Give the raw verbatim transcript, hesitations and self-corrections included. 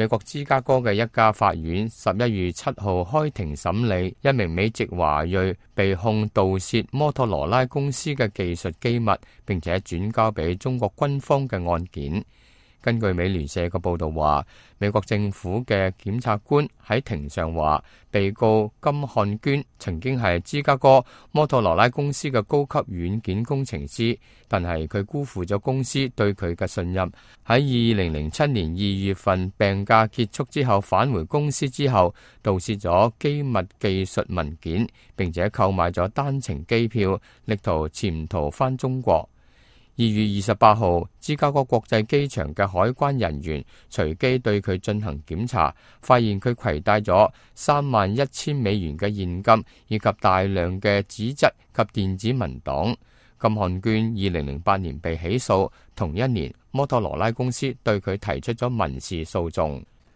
美國芝加哥嘅一家法院十一月七號開庭審理一名美籍華裔被控盜竊摩托羅拉公司嘅技術機密，並且轉交俾中國軍方嘅案件。根據美聯社嘅報道話，美國政府嘅檢察官喺庭上話，被告金漢娟曾經係芝加哥摩托羅拉公司嘅高級軟件工程師，但係佢辜負咗公司對佢嘅信任。喺二零零七年二月份病假結束之後返回公司之後，盜竊咗機密技術文件，並且購買咗單程機票，力圖潛逃返中國。二月二十八號，芝加哥國際機場嘅海關人員隨機對佢進行檢查，發現佢攜帶咗三萬一千美元嘅現金，以及大量嘅紙質及電子文檔。金漢娟二零零八年被起訴，同一年摩托羅拉公司對佢提出咗民事訴訟。